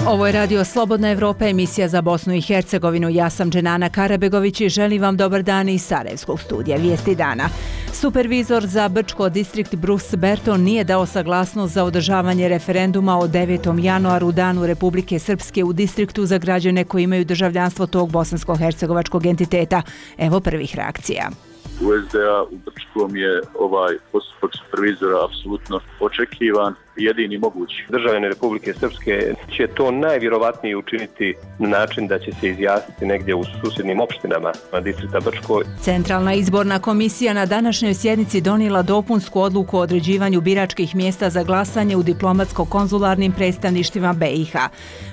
Ovo je Radio Slobodna Evropa, emisija za Bosnu i Hercegovinu. Ja sam Dženana Karabegović i želim vam dobar dan iz Sarajevskog studija Vijesti dana. Supervizor za Brčko distrikt Bruce Berton nije dao saglasnost za održavanje referenduma o 9. januaru, danu Republike Srpske u distriktu za građane koji imaju državljanstvo tog bosansko-hercegovačkog entiteta. Evo prvih reakcija. U SDA u Brčkom je ovaj postupak supervizora apsolutno očekivan i jedini mogući. Državljani Republike Srpske će to najvjerovatnije učiniti na način da će se izjasniti negdje u susjednim opštinama distrikta Brčko. Centralna izborna komisija na današnjoj sjednici donijela dopunsku odluku o određivanju biračkih mjesta za glasanje u diplomatsko-konzularnim predstavništvima BiH.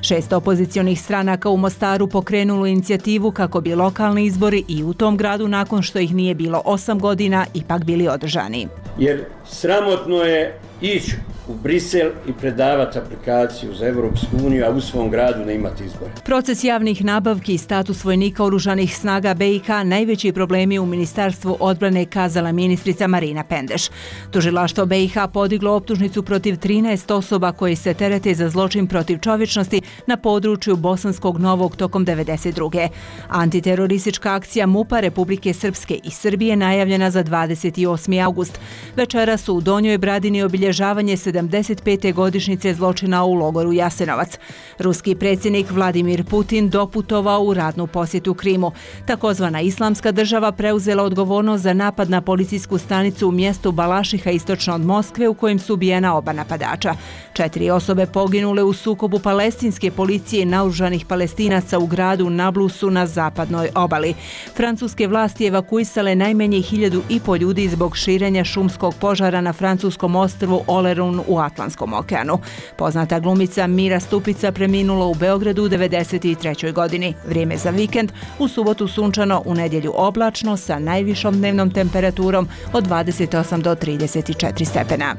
6 opozicionih stranaka u Mostaru pokrenulo inicijativu kako bi lokalni izbori i u tom gradu, nakon što ih nije bilo 8 godina, ipak bili održani. Jer sramotno je ići u Brisel i predavati aplikaciju za Evropsku uniju, a u svom gradu ne imati izbore. Proces javnih nabavki i status vojnika oružanih snaga BiH najveći problemi u Ministarstvu odbrane, kazala ministrica Marina Pendeš. Tužilaštvo BiH podiglo optužnicu protiv 13 osoba koji se terete za zločin protiv čovječnosti na području Bosanskog Novog tokom 1992. Antiteroristička akcija MUP-a Republike Srpske i Srbije najavljena za 28. august. Večera su u Donjoj Bradini obilježavanje 75. godišnjice zločina u logoru Jasenovac. Ruski predsjednik Vladimir Putin doputovao u radnu posjetu Krimu. Takozvana Islamska država preuzela odgovornost za napad na policijsku stanicu u mjestu Balašiha istočno od Moskve, u kojem su ubijena oba napadača. 4 osobe poginule u sukobu palestinske policije i naoružanih Palestinaca u gradu Nablusu na zapadnoj obali. Francuske vlasti evakuisale najmanje 1.500 ljudi zbog širenja šumskog požara na francuskom ostrvu Olerun u Atlantskom okeanu. Poznata glumica Mira Stupica preminula u Beogradu u 93. godini. Vrijeme za vikend: u subotu sunčano, u nedjelju oblačno sa najvišom dnevnom temperaturom od 28 do 34 stepena.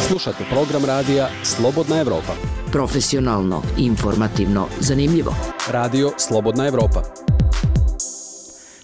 Slušate program radija Slobodna Evropa. Profesionalno, informativno, zanimljivo. Radio Slobodna Evropa.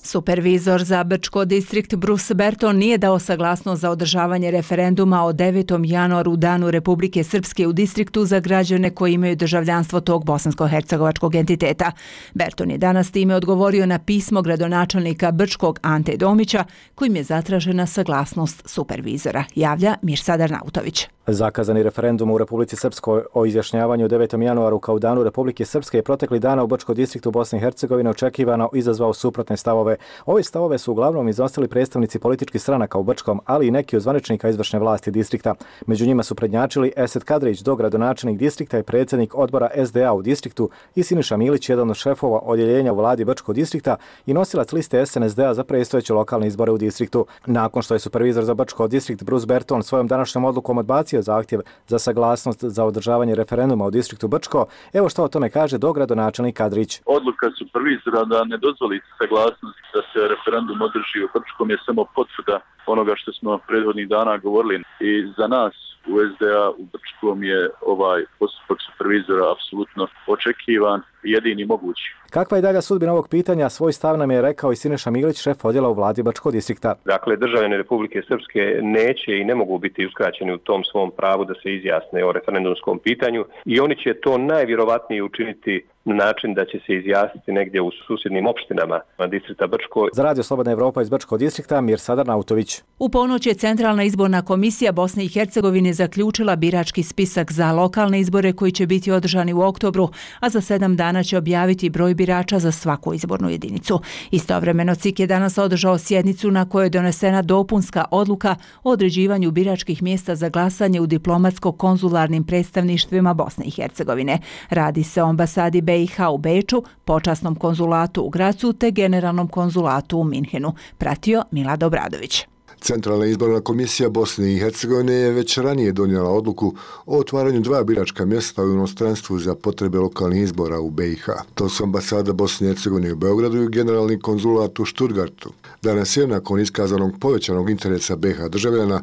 Supervizor za Brčko distrikt Bruce Berton nije dao saglasnost za održavanje referenduma o 9. januaru, danu Republike Srpske u distriktu za građane koji imaju državljanstvo tog bosansko-hercegovačkog entiteta. Berton je danas time odgovorio na pismo gradonačelnika Brčkog Ante Domića, kojim je zatražena saglasnost supervizora. Javlja Mirsadar Nautović. Zakazani referendum u Republici Srpskoj o izjašnjavanju 9. januaru kao danu Republike Srpske je protekli dana u Brčko distriktu Bosne i Hercegovine očekivano izazvao suprotne stavove. Ove stavove su uglavnom iznosili predstavnici političkih stranaka u Brčkom, ali i neki od zvaničnika izvršne vlasti distrikta. Među njima su prednjačili Esed Kadrić, dogradonačelnik distrikta i predsjednik odbora SDA u distriktu, i Siniša Milić, jedan od šefova odjeljenja u vladi Brčkog distrikta i nosilac liste SNSD za predstojeće lokalne izbore u distriktu. Nakon što je supervizor za Brčko distrikt Bruce Berton svojom današnjom odlukom odbacio zahtjev za saglasnost za održavanje referenduma u distriktu Brčko, evo što o tome kaže dogradonačelnik Kadrić. Odluka supervizora da ne dozvoli saglasnost da se referendum održi u Brčkom je samo potvrda onoga što smo prethodnih dana govorili. I za nas u SDA u Brčkom je ovaj postupak supervizora apsolutno očekivan i jedini mogući. Kakva je dalja sudbina ovog pitanja, svoj stav nam je rekao i Siniša Milić, šef odjela u vladi Brčkog distrikta. Dakle, državljani Republike Srpske neće i ne mogu biti uskraćeni u tom svom pravu da se izjasne o referendumskom pitanju i oni će to najvjerovatnije učiniti na način da će se izjasniti negdje u susjednim opštinama distrikta Brčko. Za Radio Slobodna Evropa iz Brčkog distrikta, Mirsadar Nautović. U ponoć je Centralna izborna komisija Bosne i Hercegovine zaključila birački spisak za lokalne izbore koji će biti održani u oktobru, a za 7 dana će objaviti broj birača za svaku izbornu jedinicu. Istovremeno CIK je danas održao sjednicu na kojoj je donesena dopunska odluka o određivanju biračkih mjesta za glasanje u diplomatsko-konzularnim predstavništvima Bosne i Hercegovine. Radi se o ambasadi BiH u Beču, počasnom konzulatu u Gracu te generalnom konzulatu u Minhenu. Pratio Milad Obradović. Centralna izborna komisija Bosne i Hercegovine je već ranije donijela odluku o otvaranju 2 biračka mjesta u inostranstvu za potrebe lokalnih izbora u BiH. To su ambasada Bosne i Hercegovine u Beogradu i generalni konzulat u Stuttgartu. Danas je, nakon iskazanog povećanog interesa BiH državljana,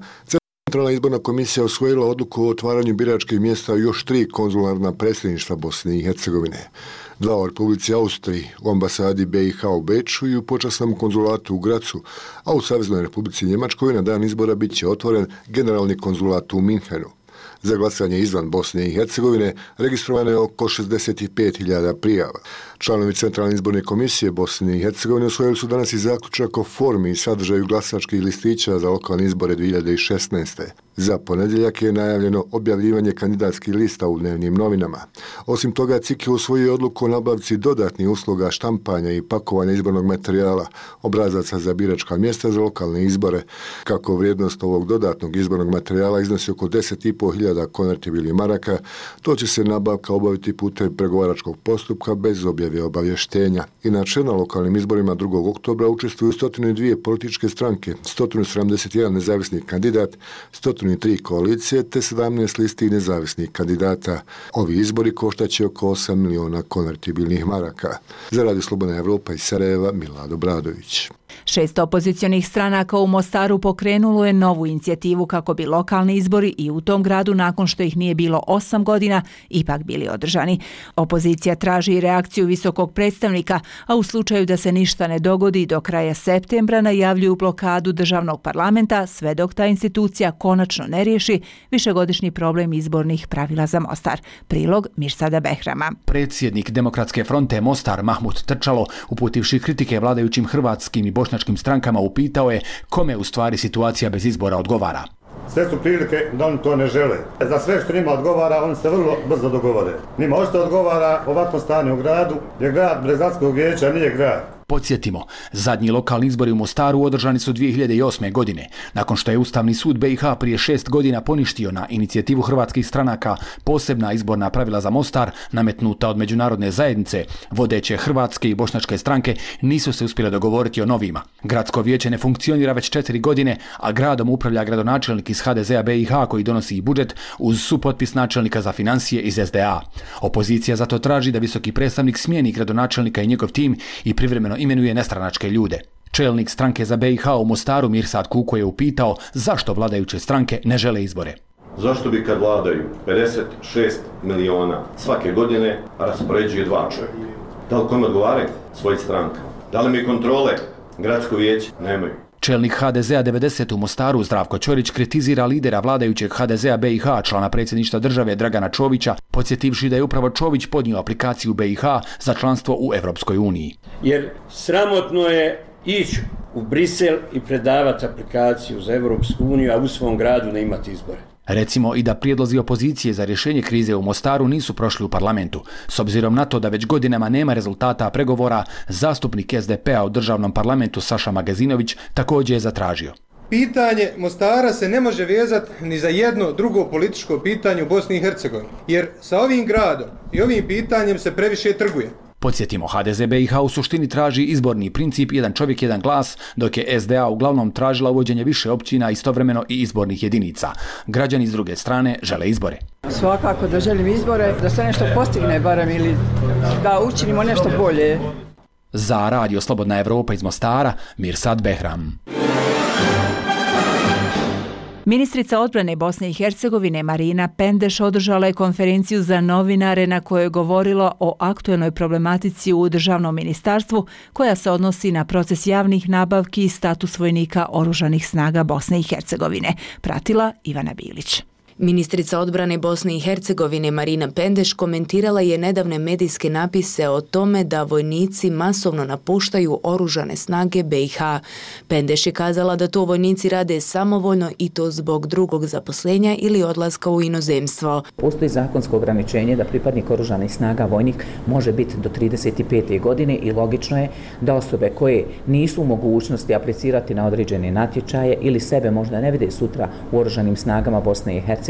Centralna izborna komisija usvojila odluku o otvaranju biračkih mjesta u još 3 konzularna predstavništva Bosne i Hercegovine. 2 u Republici Austriji, u ambasadi BiH u Beču i u počasnom konzulatu u Gracu, a u Saveznoj Republici Njemačkoj na dan izbora bit će otvoren generalni konzulat u Minhenu. Za glasanje izvan Bosne i Hercegovine registrovano je oko 65.000 prijava. Članovi Centralne izborne komisije Bosne i Hercegovine usvojili su danas i zaključak o formi i sadržaju glasačkih listića za lokalne izbore 2016. Za ponedjeljak je najavljeno objavljivanje kandidatskih lista u dnevnim novinama. Osim toga, CIK je usvojio odluku o nabavci dodatnih usluga štampanja i pakovanja izbornog materijala, obrazaca za biračka mjesta za lokalne izbore. Kako vrijednost ovog dodatnog izbornog materijala iznosi oko 10.500 konvertibilnih maraka, to će se nabavka obaviti putem pregovaračkog postupka bez objave obavještenja. Inače, na lokalnim izborima 2. oktobra učestvuju 102 političke stranke, 171 nezavisni kandidat, 103 koalicije te 17 listi nezavisnih kandidata. Ovi izbori koštaće oko 8 miliona konvertibilnih maraka. Za Radio Slobodna Evropa iz Sarajeva, Milad Obradović. 6 opozicionih stranaka u Mostaru pokrenulo je novu inicijativu kako bi lokalni izbori i u tom gradu, nakon što ih nije bilo 8 godina, ipak bili održani. Opozicija traži reakciju visokog predstavnika, a u slučaju da se ništa ne dogodi do kraja septembra najavljuju blokadu državnog parlamenta sve dok ta institucija konačno ne riješi višegodišnji problem izbornih pravila za Mostar. Prilog Mirsada Behrama. Predsjednik Demokratske fronte Mostar Mahmut Trčalo, uputivši kritike vladajućim hrvatskim i bošnjačkim strankama, upitao je kome u stvari situacija bez izbora odgovara. Sve su prilike da oni to ne žele. Za sve što njima odgovara, oni se vrlo brzo dogovore. Njima ošto odgovara ovakvo stanje u gradu, jer grad bez gradskog vijeća nije grad. Podsjetimo, zadnji lokalni izbori u Mostaru održani su 2008. godine, nakon što je Ustavni sud BiH prije 6 godina poništio na inicijativu hrvatskih stranaka posebna izborna pravila za Mostar nametnuta od međunarodne zajednice. Vodeće hrvatske i bošnjačke stranke nisu se uspjele dogovoriti o novima. Gradsko vijeće ne funkcionira već 4 godine, a gradom upravlja gradonačelnik iz HDZ-a BiH koji donosi i budžet uz supotpis načelnika za financije iz SDA. Opozicija zato traži da visoki predstavnik smijeni gradonačelnika i njegov tim i privremeno imenuje nestranačke ljude. Čelnik stranke za BiH u Mostaru Mirsad Kuko je upitao zašto vladajuće stranke ne žele izbore. Zašto bi kad vladaju 56 miliona svake godine raspoređuje 2 čovjeka? Da li kome odgovaraju svojih stranka? Da li mi kontrole gradsko vijeće? Nemaju. Čelnik HDZ-a 90 u Mostaru Zdravko Ćorić kritizira lidera vladajućeg HDZ-a BiH, člana predsjedništva države Dragana Čovića, podsjetivši da je upravo Čović podnio aplikaciju BiH za članstvo u Evropskoj uniji. Jer sramotno je ići u Brisel i predavati aplikaciju za Evropsku uniju, a u svom gradu ne imati izbore. Recimo i da prijedlozi opozicije za rješenje krize u Mostaru nisu prošli u parlamentu. S obzirom na to da već godinama nema rezultata pregovora, zastupnik SDP-a u državnom parlamentu Saša Magazinović također je zatražio. Pitanje Mostara se ne može vezati ni za jedno drugo političko pitanje u Bosni i Hercegovini, jer sa ovim gradom i ovim pitanjem se previše trguje. Podsjetimo, HDZ BiH u suštini traži izborni princip jedan čovjek, jedan glas, dok je SDA uglavnom tražila uvođenje više općina, istovremeno i izbornih jedinica. Građani s druge strane žele izbore. Svakako da želim izbore, da se nešto postigne barem ili da učinimo nešto bolje. Za Radio Slobodna Evropa iz Mostara, Mirsad Behram. Ministrica odbrane Bosne i Hercegovine Marina Pendeš održala je konferenciju za novinare na kojoj je govorila o aktuelnoj problematici u državnom ministarstvu koja se odnosi na proces javnih nabavki i status vojnika oružanih snaga Bosne i Hercegovine. Pratila Ivana Bilić. Ministrica odbrane Bosne i Hercegovine Marina Pendeš komentirala je nedavne medijske napise o tome da vojnici masovno napuštaju oružane snage BiH. Pendeš je kazala da to vojnici rade samovoljno i to zbog drugog zaposlenja ili odlaska u inozemstvo. Postoji zakonsko ograničenje da pripadnik oružanih snaga vojnik može biti do 35. godine i logično je da osobe koje nisu u mogućnosti aplicirati na određene natječaje ili sebe možda ne vide sutra u oružanim snagama Bosne i Hercegovine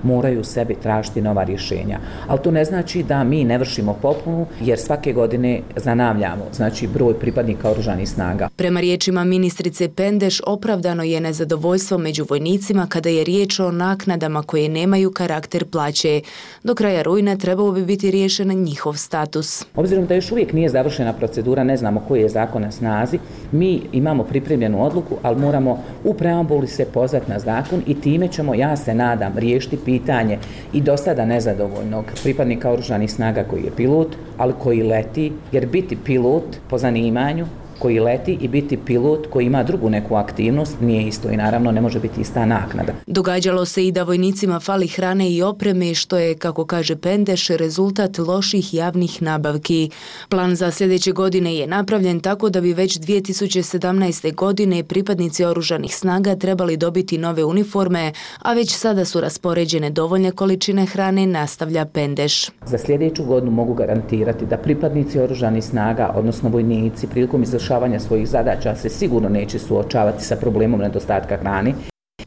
moraju sebi tražiti nova rješenja. Ali to ne znači da mi ne vršimo popunu jer svake godine zanavljamo, znači broj pripadnika oružanih snaga. Prema riječima ministrice Pendeš opravdano je nezadovoljstvo među vojnicima kada je riječ o naknadama koje nemaju karakter plaće. Do kraja rujna trebao bi biti riješen njihov status. Obzirom da još uvijek nije završena procedura, ne znamo koji je zakon na snazi, mi imamo pripremljenu odluku, ali moramo u preambuli se pozvati na zakon i time ćemo, ja se nadam, riješiti pitanje i do sada nezadovoljnog pripadnika oružanih snaga koji je pilot, ali koji leti, jer biti pilot po zanimanju koji leti i biti pilot koji ima drugu neku aktivnost nije isto i naravno ne može biti ista naknada. Događalo se i da vojnicima fali hrane i opreme, što je, kako kaže Pendeš, rezultat loših javnih nabavki. Plan za sljedeće godine je napravljen tako da bi već 2017. godine pripadnici oružanih snaga trebali dobiti nove uniforme, a već sada su raspoređene dovoljne količine hrane, nastavlja Pendeš. Za sljedeću godinu mogu garantirati da pripadnici oružanih snaga, odnosno vojnici, prilikom izvršavanja svojih zadaća se sigurno neće suočavati sa problemom nedostatka hrane.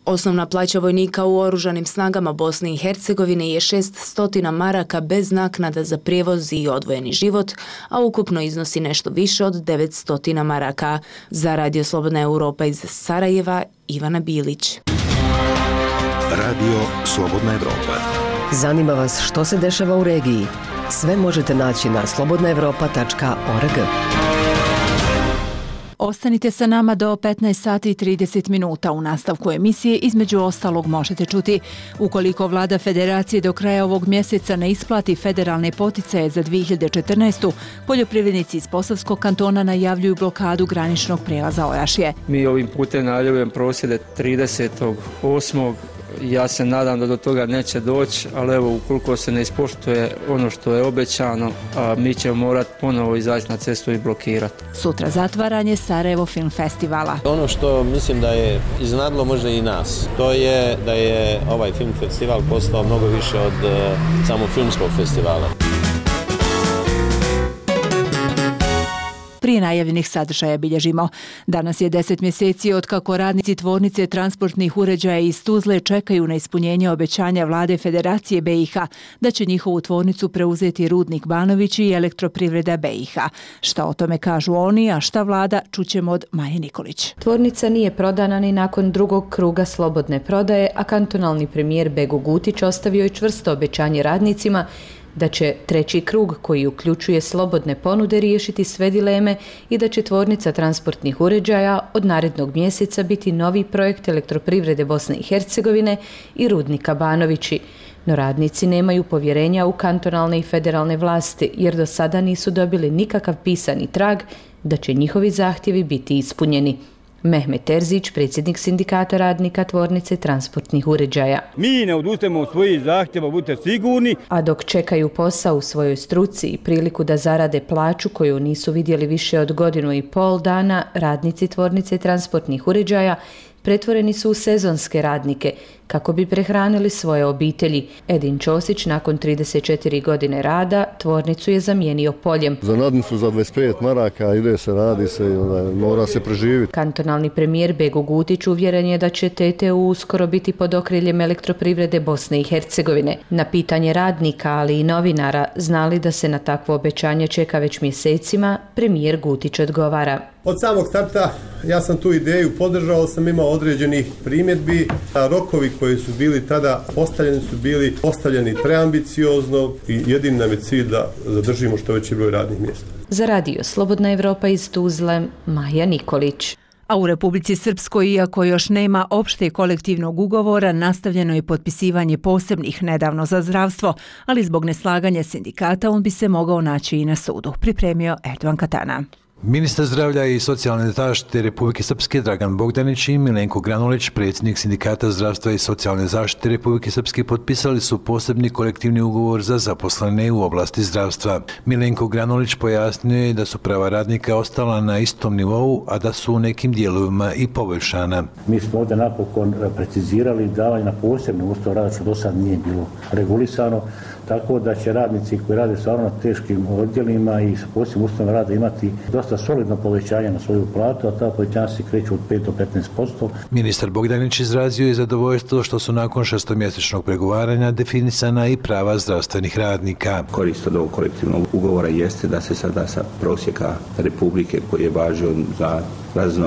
Osnovna plaća vojnika u oružanim snagama Bosne i Hercegovine je 600 maraka bez naknada za prijevoz i odvojeni život, a ukupno iznosi nešto više od 900 maraka. Za Radio Slobodna Europa iz Sarajeva, Ivana Bilić. Radio Slobodna Europa. Zanima vas što se dešava u regiji? Sve možete naći na slobodnaevropa.org. Ostanite sa nama do 15 sati i 30 minuta. U nastavku emisije između ostalog možete čuti: ukoliko vlada federacije do kraja ovog mjeseca ne isplati federalne poticaje za 2014. poljoprivrednici iz Posavskog kantona najavljuju blokadu graničnog prijelaza Orašje. Mi ovim putem najavljujemo prosvjede 30.8. Ja se nadam da do toga neće doći, ali evo, ukoliko se ne ispoštuje ono što je obećano, mi ćemo morati ponovo izaći na cestu i blokirati. Sutra zatvaranje Sarajevo Film Festivala. Ono što mislim da je iznadlo možda i nas, to je da je ovaj film festival postao mnogo više od samog filmskog festivala. Prije najavljenih sadržaja bilježimo. Danas je 10 mjeseci od kako radnici tvornice transportnih uređaja iz Tuzle čekaju na ispunjenje obećanja vlade Federacije BiH da će njihovu tvornicu preuzeti Rudnik Banović i Elektroprivreda BiH. Šta o tome kažu oni, a šta vlada, čućemo od Maje Nikolić. Tvornica nije prodana ni nakon drugog kruga slobodne prodaje, a kantonalni premijer Bego Gutić ostavio je čvrsto obećanje radnicima da će treći krug, koji uključuje slobodne ponude, riješiti sve dileme i da će tvornica transportnih uređaja od narednog mjeseca biti novi projekt Elektroprivrede Bosne i Hercegovine i Rudnika Banovići. No radnici nemaju povjerenja u kantonalne i federalne vlasti, jer do sada nisu dobili nikakav pisani trag da će njihovi zahtjevi biti ispunjeni. Mehmet Terzić, predsjednik sindikata radnika tvornice transportnih uređaja. Mi ne odustajemo od svojih zahtjeva, budite sigurni. A dok čekaju posao u svojoj struci i priliku da zarade plaću koju nisu vidjeli više od 1,5 godina, radnici tvornice transportnih uređaja pretvoreni su u sezonske radnike kako bi prehranili svoje obitelji. Edin Ćosić nakon 34 godine rada tvornicu je zamijenio poljem. Za nadnicu za 25 maraka ide se, radi se i mora se preživiti. Kantonalni premijer Bego Gutić uvjeren je da će TTU uskoro biti pod okriljem Elektroprivrede Bosne i Hercegovine. Na pitanje radnika, ali i novinara, znali da se na takvo obećanje čeka već mjesecima, premijer Gutić odgovara. Od samog starta ja sam tu ideju podržao, sam imao određenih primjedbi, a rokovi koji su bili tada postavljeni su bili postavljeni preambiciozno i jedini nam je cilj da zadržimo što veći broj radnih mjesta. Za Radio Slobodna Europa iz Tuzle, Maja Nikolić. A u Republici Srpskoj, iako još nema opšte kolektivnog ugovora, nastavljeno je potpisivanje posebnih nedavno za zdravstvo, ali zbog neslaganja sindikata on bi se mogao naći i na sudu, pripremio Erdovan Katana. Ministar zdravlja i socijalne zaštite Republike Srpske Dragan Bogdanić i Milenko Granulić, predsjednik Sindikata zdravstva i socijalne zaštite Republike Srpske, potpisali su posebni kolektivni ugovor za zaposlene u oblasti zdravstva. Milenko Granulić pojasnio je da su prava radnika ostala na istom nivou, a da su u nekim dijelovima i poboljšana. Mi smo ovdje napokon precizirali davanje na posebne uslove rada, što do sad nije bilo regulisano, tako da će radnici koji rade stvarno na teškim odjelima i sa posebnim uslovima rada imati dosta solidno povećanje na svoju platu, a ta povećanja se kreću od 5 do 15%. Ministar Bogdanić izrazio je zadovoljstvo što su nakon 6-mjesečnog pregovaranja definisana i prava zdravstvenih radnika. Korist od ovog kolektivnog ugovora jeste da se sada sa prosjeka Republike koji je važio za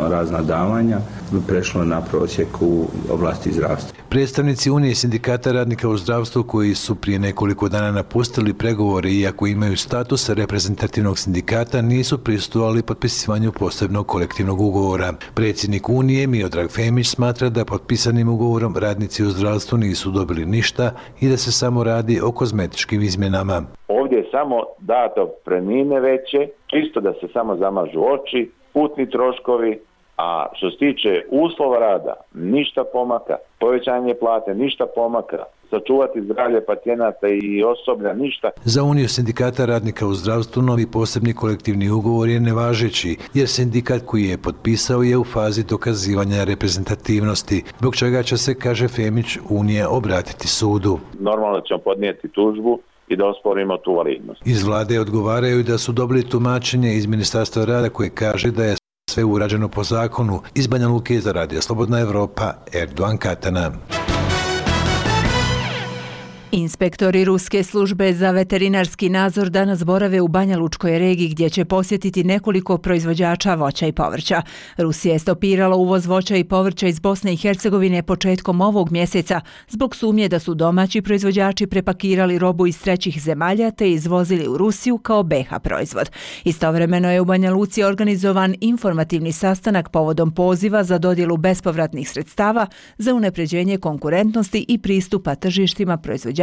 razna davanja prešlo na prosjek u oblasti zdravstva. Predstavnici Unije sindikata radnika u zdravstvu, koji su prije nekoliko dana napustili pregovore, iako imaju status reprezentativnog sindikata, nisu prisustvovali potpisivanju posebnog kolektivnog ugovora. Predsjednik Unije Miodrag Femić smatra da potpisanim ugovorom radnici u zdravstvu nisu dobili ništa i da se samo radi o kozmetičkim izmjenama. Ovdje je samo dato otpremnine veće, čisto da se samo zamažu oči, putni troškovi, a što se tiče uslova rada, ništa pomaka, povećanje plate, ništa pomaka, sačuvati zdravlje pacijenata i osoblja, ništa. Za Uniju sindikata radnika u zdravstvu novi posebni kolektivni ugovor je nevažeći, jer sindikat koji je potpisao je u fazi dokazivanja reprezentativnosti, zbog čega će se, kaže Femić, Unija obratiti sudu. Normalno ćemo podnijeti tužbu i da osporimo tu validnost. Iz vlade odgovaraju da su dobili tumačenje iz Ministarstva rada koje kaže da je sve urađeno po zakonu. Iz Banja Luke za Radio Slobodna Evropa, Erdogan Katana. Inspektori Ruske službe za veterinarski nadzor danas borave u Banja Lučkoj regiji gdje će posjetiti nekoliko proizvođača voća i povrća. Rusija je stopirala uvoz voća i povrća iz Bosne i Hercegovine početkom ovog mjeseca zbog sumnje da su domaći proizvođači prepakirali robu iz trećih zemalja te izvozili u Rusiju kao BiH proizvod. Istovremeno je u Banja Luci organizovan informativni sastanak povodom poziva za dodjelu bespovratnih sredstava za unapređenje konkurentnosti i pristupa tržištima proizvođača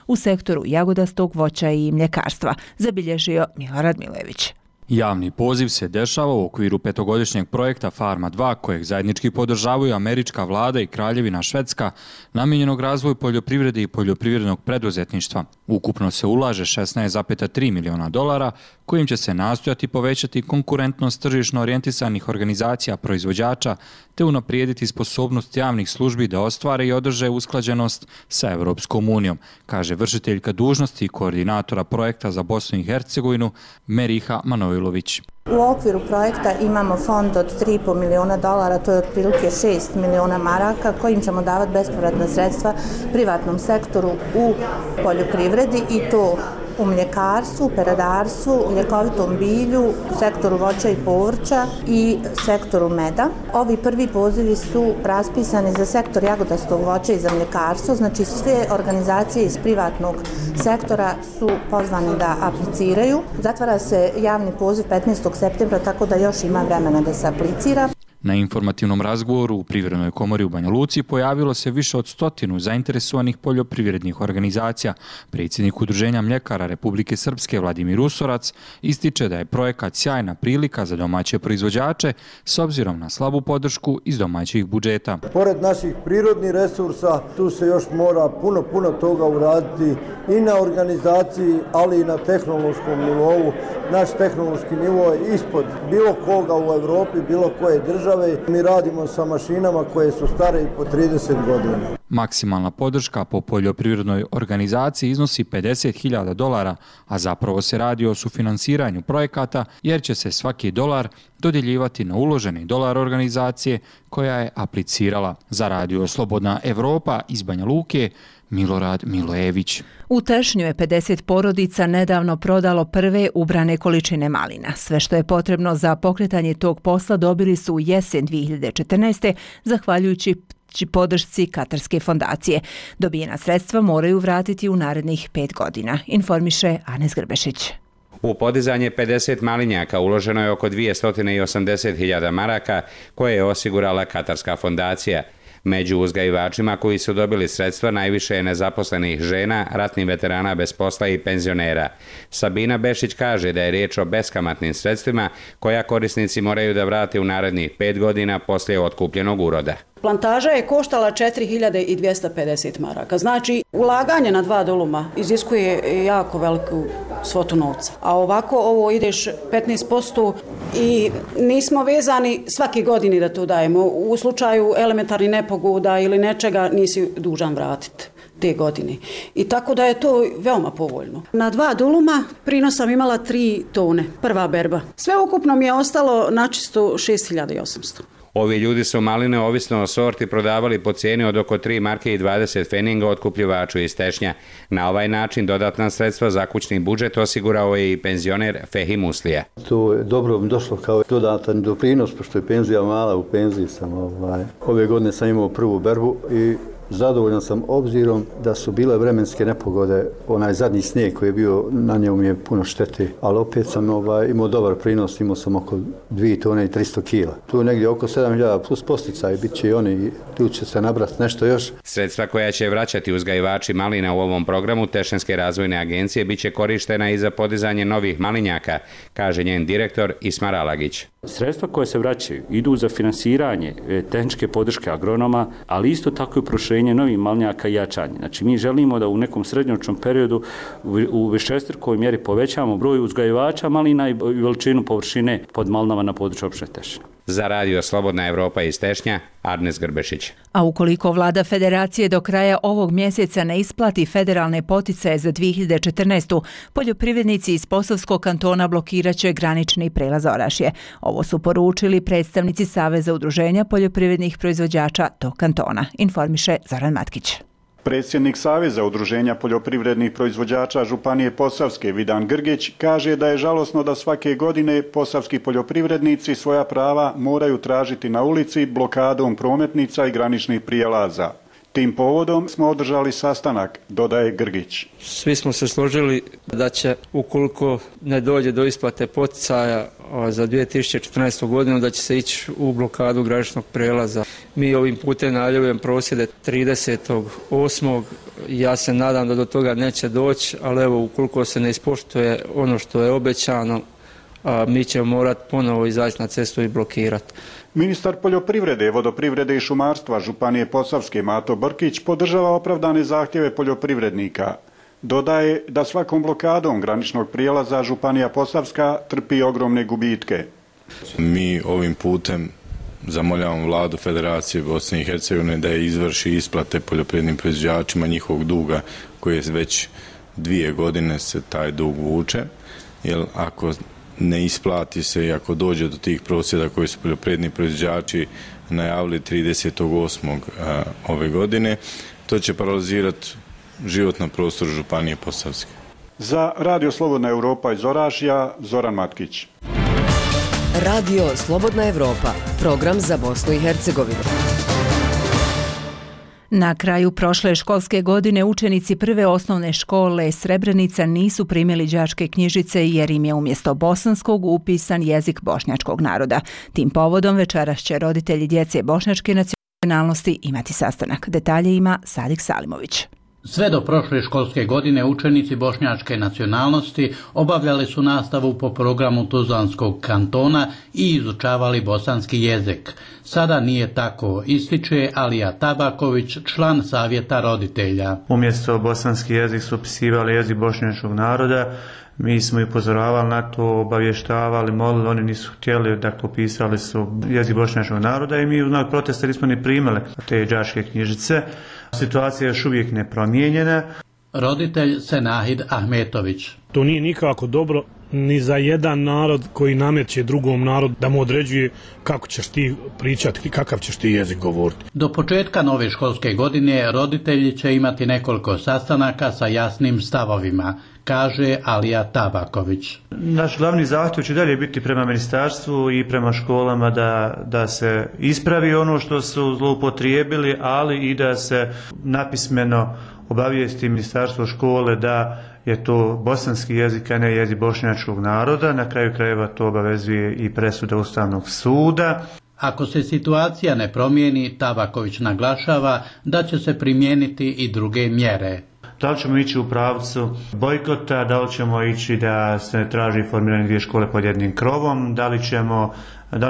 u sektoru jagodastog voća i mljekarstva, zabilježio Milorad Milojević. Javni poziv se dešava u okviru petogodišnjeg projekta Farma 2, kojeg zajednički podržavaju američka vlada i Kraljevina Švedska, namijenjenog razvoju poljoprivrede i poljoprivrednog preduzetništva. Ukupno se ulaže $16,3 miliona, kojim će se nastojati povećati konkurentnost tržišno orijentisanih organizacija proizvođača te unaprijediti sposobnost javnih službi da ostvare i održe usklađenost sa Europskom unijom, kaže vršiteljka dužnosti i koordinatora projekta za Bosnu i Hercegovinu Meriha Manojlović. U okviru projekta imamo fond od $3,5 miliona, to je otprilike 6 miliona maraka kojim ćemo davati bespovratna sredstva privatnom sektoru u poljoprivredi i to u mljekarstvu, peradarstvu, ljekovitom bilju, sektoru voća i povrća i sektoru meda. Ovi prvi pozivi su raspisani za sektor jagodastog voća i za mljekarstvo, znači sve organizacije iz privatnog sektora su pozvani da apliciraju. Zatvara se javni poziv 15. septembra, tako da još ima vremena da se aplicira. Na informativnom razgovoru u Privrednoj komori u Banja Luci pojavilo se više od 100 zainteresovanih poljoprivrednih organizacija. Predsjednik Udruženja mljekara Republike Srpske Vladimir Usorac ističe da je projekat sjajna prilika za domaće proizvođače s obzirom na slabu podršku iz domaćih budžeta. Pored naših prirodnih resursa, tu se još mora puno toga uraditi i na organizaciji, ali i na tehnološkom nivou. Naš tehnološki nivo je ispod bilo koga u Evropi, bilo koje države. Mi radimo sa mašinama koje su stare i po 30 godina. Maksimalna podrška po poljoprivrednoj organizaciji iznosi $50,000, a zapravo se radi o sufinansiranju projekata jer će se svaki dolar dodjeljivati na uloženi dolar organizacije koja je aplicirala. Za Radio Slobodna Evropa iz Banja Luke, Milorad Milojević. U Tešnju je 50 porodica nedavno prodalo prve ubrane količine malina. Sve što je potrebno za pokretanje tog posla dobili su u jesen 2014. zahvaljujući podršci Katarske fondacije. Dobijena sredstva moraju vratiti u narednih 5 godina, informiše Anes Grbešić. U podizanje 50 malinjaka uloženo je oko 280.000 maraka koje je osigurala Katarska fondacija. Među uzgajivačima koji su dobili sredstva najviše je nezaposlenih žena, ratnih veterana bez posla i penzionera. Sabina Bešić kaže da je riječ o beskamatnim sredstvima koja korisnici moraju da vrate u narednih 5 godina poslije otkupljenog uroda. Plantaža je koštala 4.250 maraka. Znači, ulaganje na 2 duluma iziskuje jako veliku svotu novca. A ovako ovo ideš 15% i nismo vezani svaki godini da to dajemo. U slučaju elementarnih nepogoda ili nečega nisi dužan vratiti te godine. I tako da je to veoma povoljno. Na 2 duluma prinos sam imala 3 tone, prva berba. Sve ukupno mi je ostalo načisto 6.800. Ovi ljudi su maline ovisno o sorti prodavali po cijeni od oko 3 marke i 20 feninga otkupljivaču iz Tešnja. Na ovaj način dodatna sredstva za kućni budžet osigurao je i penzioner Fehim Uslija. To je dobro došlo kao dodatan doprinos, pošto je penzija mala, u penziji sam. Ove godine sam imao prvu berbu i Zadovoljan sam obzirom da su bile vremenske nepogode, onaj zadnji snijeg koji je bio, na njemu je puno štete, ali opet sam imao dobar prinos, imao sam oko 2 tone i 300 kila. Tu je negdje oko 7.000 plus posticaj, bit će i oni, tu će se nabrati nešto još. Sredstva koja će vraćati uzgajivači malina u ovom programu Tešnjanske razvojne agencije bit će korištena i za podizanje novih malinjaka, kaže njen direktor Ismar Alagić. Sredstva koje se vraćaju idu za finansiranje tehničke podrške agronoma, ali isto tako i proširenje novih malinjaka i jačanje. Znači mi želimo da u nekom srednjoročnom periodu u višestrukoj mjeri povećamo broj uzgajivača malina i veličinu površine pod malinama na području opštine Tešnje. Za radio Slobodna Evropa iz Tešnja, Arnes Grbešić. A ukoliko vlada federacije do kraja ovog mjeseca ne isplati federalne poticaje za 2014. poljoprivrednici iz Posavskog kantona blokirat će granični prelaz Orašje. Ovo su poručili predstavnici Saveza udruženja poljoprivrednih proizvođača tog kantona, informiše Zoran Matkić. Predsjednik Saveza udruženja poljoprivrednih proizvođača Županije Posavske Vidan Grgić kaže da je žalosno da svake godine posavski poljoprivrednici svoja prava moraju tražiti na ulici blokadom prometnica i graničnih prijelaza. Tim povodom smo održali sastanak, dodaje Grgić. Svi smo se složili da će, ukoliko ne dođe do isplate poticaja za 2014. godinu, da će se ići u blokadu graničnog prelaza. Mi ovim putem najavljujem prosvjede 30.8. Ja se nadam da do toga neće doći, ali evo, ukoliko se ne ispoštuje ono što je obećano, mi ćemo morati ponovo izaći na cestu i blokirati. Ministar poljoprivrede, vodoprivrede i šumarstva Županije Posavske Mato Brkić podržava opravdane zahtjeve poljoprivrednika. Dodaje da svakom blokadom graničnog prijelaza Županija Posavska trpi ogromne gubitke. Mi ovim putem zamoljavamo vladu Federacije Bosne i Hercegovine da je izvrši isplate poljoprivrednim proizvođačima njihovog duga koji je već 2 godine se taj dug vuče, jer ako ne isplati se i ako dođe do tih prosvjeda koji su poljoprivredni proizvođači najavili 30.8. ove godine, to će paralizirati život na prostoru Županije Posavske. Za Radio Slobodna Evropa iz Orašja, Zoran Matkić. Radio Slobodna Evropa, program za Bosnu i Hercegovinu. Na kraju prošle školske godine učenici prve osnovne škole Srebrenica nisu primili đačke knjižice jer im je umjesto bosanskog upisan jezik bošnjačkog naroda. Tim povodom večeras će roditelji djece bošnjačke nacionalnosti imati sastanak. Detalje ima Sadik Salimović. Sve do prošle školske godine učenici bošnjačke nacionalnosti obavljali su nastavu po programu Tuzlanskog kantona i izučavali bosanski jezik. Sada nije tako, ističe Alija Tabaković, član savjeta roditelja. Umjesto bosanski jezik su upisivali jezik bošnjačkog naroda. Mi smo ih upozoravali na to, obavještavali, molili, oni nisu htjeli, dakle upisali su jezik bošnjačkog naroda i mi u znak protesta nismo ni primili te đačke knjižice. Situacija je još uvijek nepromijenjena. Roditelj Senahid Ahmetović. To nije nikako dobro ni za jedan narod koji nameće drugom narodu da mu određuje kako ćeš ti pričati, kakav ćeš ti jezik govoriti. Do početka nove školske godine roditelji će imati nekoliko sastanaka sa jasnim stavovima, kaže Alija Tabaković. Naš glavni zahtjev će dalje biti prema ministarstvu i prema školama da se ispravi ono što su zloupotrijebili, ali i da se napismeno obavijesti ministarstvo škole da je to bosanski jezik, a ne jezik bošnjačkog naroda. Na kraju krajeva to obavezuje i presuda Ustavnog suda. Ako se situacija ne promijeni, Tabaković naglašava da će se primijeniti i druge mjere. Da li ćemo ići u pravcu bojkota, da li ćemo ići da se traži formiranje 2 škole pod jednim krovom, da li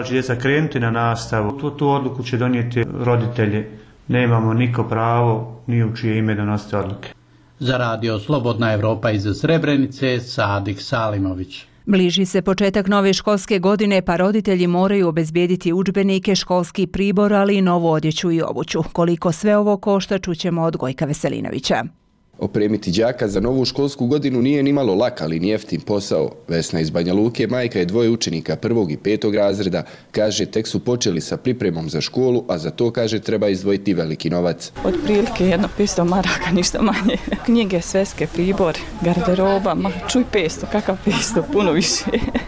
će djeca krenuti na nastavu. Tu odluku će donijeti roditelji. Nemamo niko pravo ni u čije ime donositi odluke. Za Radio Slobodna Evropa iz Srebrenice, Sadik Salimović. Bliži se početak nove školske godine, pa roditelji moraju obezbijediti udžbenike, školski pribor, ali i novu odjeću i obuću. Koliko sve ovo košta, čućemo od Gojka Veselinovića. Opremiti đaka za novu školsku godinu nije ni malo lak, ali ni jeftin posao. Vesna iz Banja Luke, majka je 2 učenika 1. i 5. razreda. Kaže, tek su počeli sa pripremom za školu, a za to, kaže, treba izdvojiti veliki novac. Od prilike 500 maraka, ništa manje. Knjige, sveske, pribor, garderoba, čuj 500, kakav 500, puno više.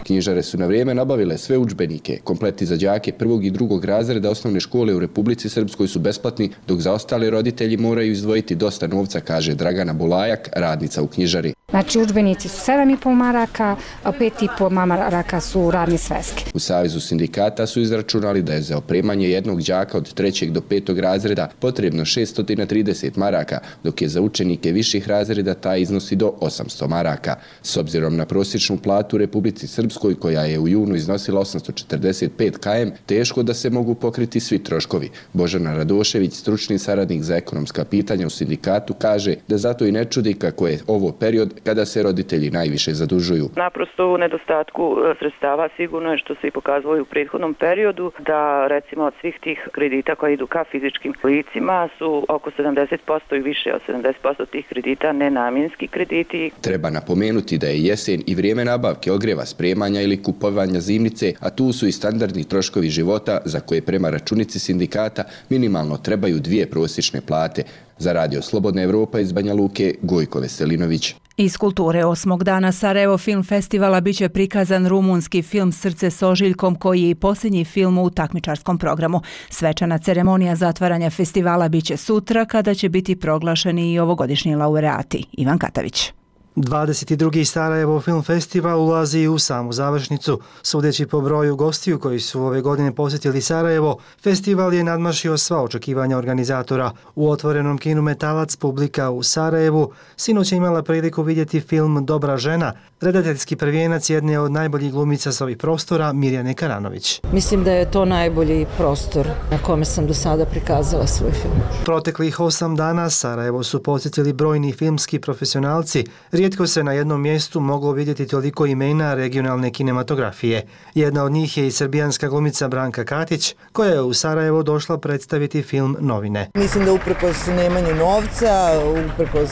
Knjižare su na vrijeme nabavile sve udžbenike. Kompleti za đake prvog i drugog razreda osnovne škole u Republici Srpskoj su besplatni, dok za ostale roditelji moraju izdvojiti dosta novca, kaže Dragana Bulajak, radnica u knjižari. Znači, udžbenici su 7,5 maraka, a 5,5 maraka su radne sveske. U Savezu sindikata su izračunali da je za opremanje jednog đaka od 3. do 5. razreda potrebno 630 maraka, dok je za učenike viših razreda taj iznosi do 800 maraka. S obzirom na prosječnu platu u Republici Srpskoj, koja je u junu iznosila 845 km, teško da se mogu pokriti svi troškovi. Božana Radošević, stručni saradnik za ekonomska pitanja u sindikatu, kaže da zato i ne čudi kako je ovo period kada se roditelji najviše zadužuju. Naprosto u nedostatku sredstava sigurno je, što se i pokazalo i u prethodnom periodu, da recimo od svih tih kredita koji idu ka fizičkim licima su oko 70% i više od 70% tih kredita nenamjenski krediti. Treba napomenuti da je jesen i vrijeme nabavke ogreva, spremanja ili kupovanja zimnice, a tu su i standardni troškovi života za koje prema računici sindikata minimalno trebaju 2 prosječne plate. Za Radio Slobodna Evropa iz Banja Luke, Gojko Veselinović. Iz kulture 8. dana Sarajevo Film Festivala biće prikazan rumunski film Srce s ožiljkom, koji je i posljednji film u takmičarskom programu. Svečana ceremonija zatvaranja festivala biće sutra, kada će biti proglašeni i ovogodišnji laureati. Ivan Katavić. 22. Sarajevo Film Festival ulazi u samu završnicu. Sudeći po broju gostiju koji su ove godine posjetili Sarajevo, festival je nadmašio sva očekivanja organizatora. U otvorenom kinu Metalac publika u Sarajevu sinoć je imala priliku vidjeti film Dobra žena, redateljski prvijenac jedne od najboljih glumica s ovih prostora, Mirjane Karanović. Mislim da je to najbolji prostor na kome sam do sada prikazala svoj film. Proteklih 8 dana Sarajevo su posjetili brojni filmski profesionalci. Rijetko se na jednom mjestu moglo vidjeti toliko imena regionalne kinematografije. Jedna od njih je i srbijanska glumica Branka Katić, koja je u Sarajevo došla predstaviti film Novine. Mislim da uprkos nemanju novca, uprkos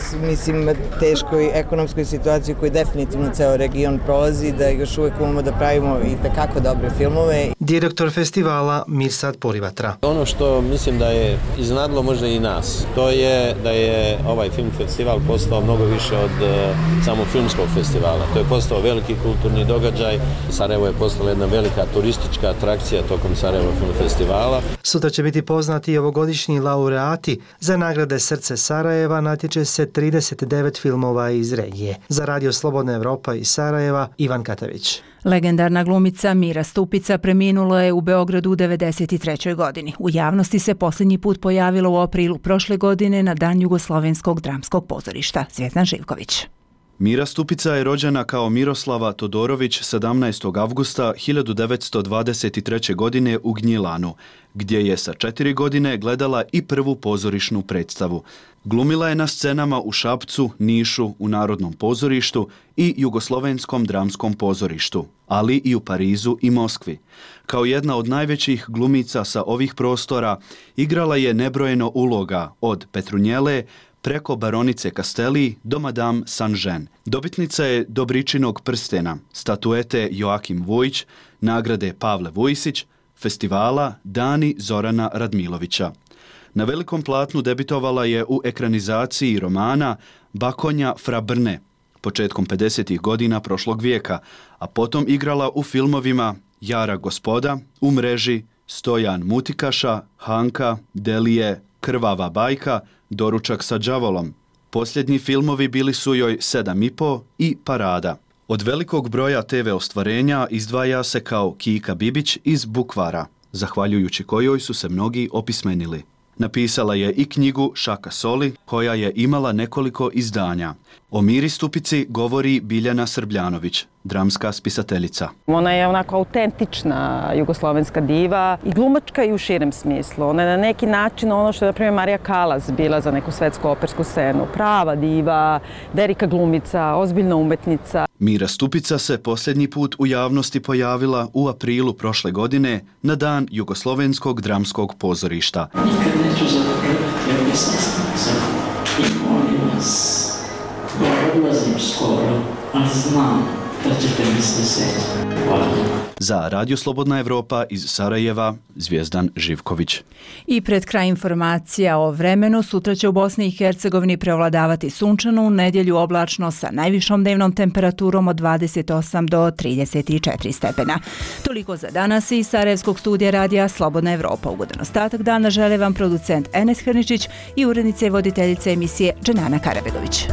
teškoj ekonomskoj situaciji koju definitivno ceo region prolazi, da još uvijek umemo da pravimo i tekako dobre filmove. Direktor festivala Mirsad Porivatra. Ono što mislim da je iznadlo možda i nas, to je da je ovaj film festival postao mnogo više od samog filmskog festivala. To je postao veliki kulturni događaj. Sarajevo je postala jedna velika turistička atrakcija tokom Sarajevo Film Festivala. Sutra će biti poznati i ovogodišnji laureati. Za nagrade Srce Sarajeva natječe se 39 filmova iz regije. Za Radio Slobodna Evropa iz Sarajeva, Ivan Katavić. Legendarna glumica Mira Stupica preminula je u Beogradu u 93. godini. U javnosti se posljednji put pojavila u aprilu prošle godine na Dan Jugoslovenskog dramskog pozorišta. Zvjezdan Živković. Mira Stupica je rođena kao Miroslava Todorović 17. avgusta 1923. godine u Gnjilanu, gdje je sa 4 godine gledala i prvu pozorišnu predstavu. Glumila je na scenama u Šapcu, Nišu, u Narodnom pozorištu i Jugoslovenskom dramskom pozorištu, ali i u Parizu i Moskvi. Kao jedna od najvećih glumica sa ovih prostora igrala je nebrojeno uloga, od Petrunjele preko baronice Castelli do Madame Saint-Jean. Dobitnica je Dobričinog prstena, statuete Joakim Vujić, nagrade Pavle Vujisić, festivala Dani Zorana Radmilovića. Na velikom platnu debitovala je u ekranizaciji romana Bakonja fra Brne početkom 50. godina prošlog vijeka, a potom igrala u filmovima Jara gospoda, U mreži, Stojan Mutikaša, Hanka, Delije, Krvava bajka, Doručak sa đavolom. Posljednji filmovi bili su joj 7,5 i Parada. Od velikog broja TV ostvarenja izdvaja se kao Kika Bibić iz Bukvara, zahvaljujući kojoj su se mnogi opismenili. Napisala je i knjigu Šaka soli, koja je imala nekoliko izdanja. O Miri Stupici govori Biljana Srbljanović, dramska spisateljica. Ona je onako autentična jugoslovenska diva i glumačka i u širem smislu. Ona je na neki način ono što je, na primjer, Marija Kalas bila za neku svetsku opersku scenu. Prava diva, velika glumica, ozbiljna umetnica. Mira Stupica se posljednji put u javnosti pojavila u aprilu prošle godine na Dan Jugoslovenskog dramskog pozorišta. Nikad neću zaboraviti ove sastanke i molim vas, ja odlazim skoro, ali znam da ćete mi se sjetiti. Hvala. Za Radio Slobodna Evropa iz Sarajeva, Zvijezdan Živković. I pred kraj informacija o vremenu, sutra će u Bosni i Hercegovini prevladavati sunčano, u nedjelju oblačno sa najvišom dnevnom temperaturom od 28 do 34 stepena. Toliko za danas iz Sarajevskog studija Radija Slobodna Evropa. Ugodan ostatak dana žele vam producent Enes Hrničić i urednica i voditeljica emisije Dženana Karabegović.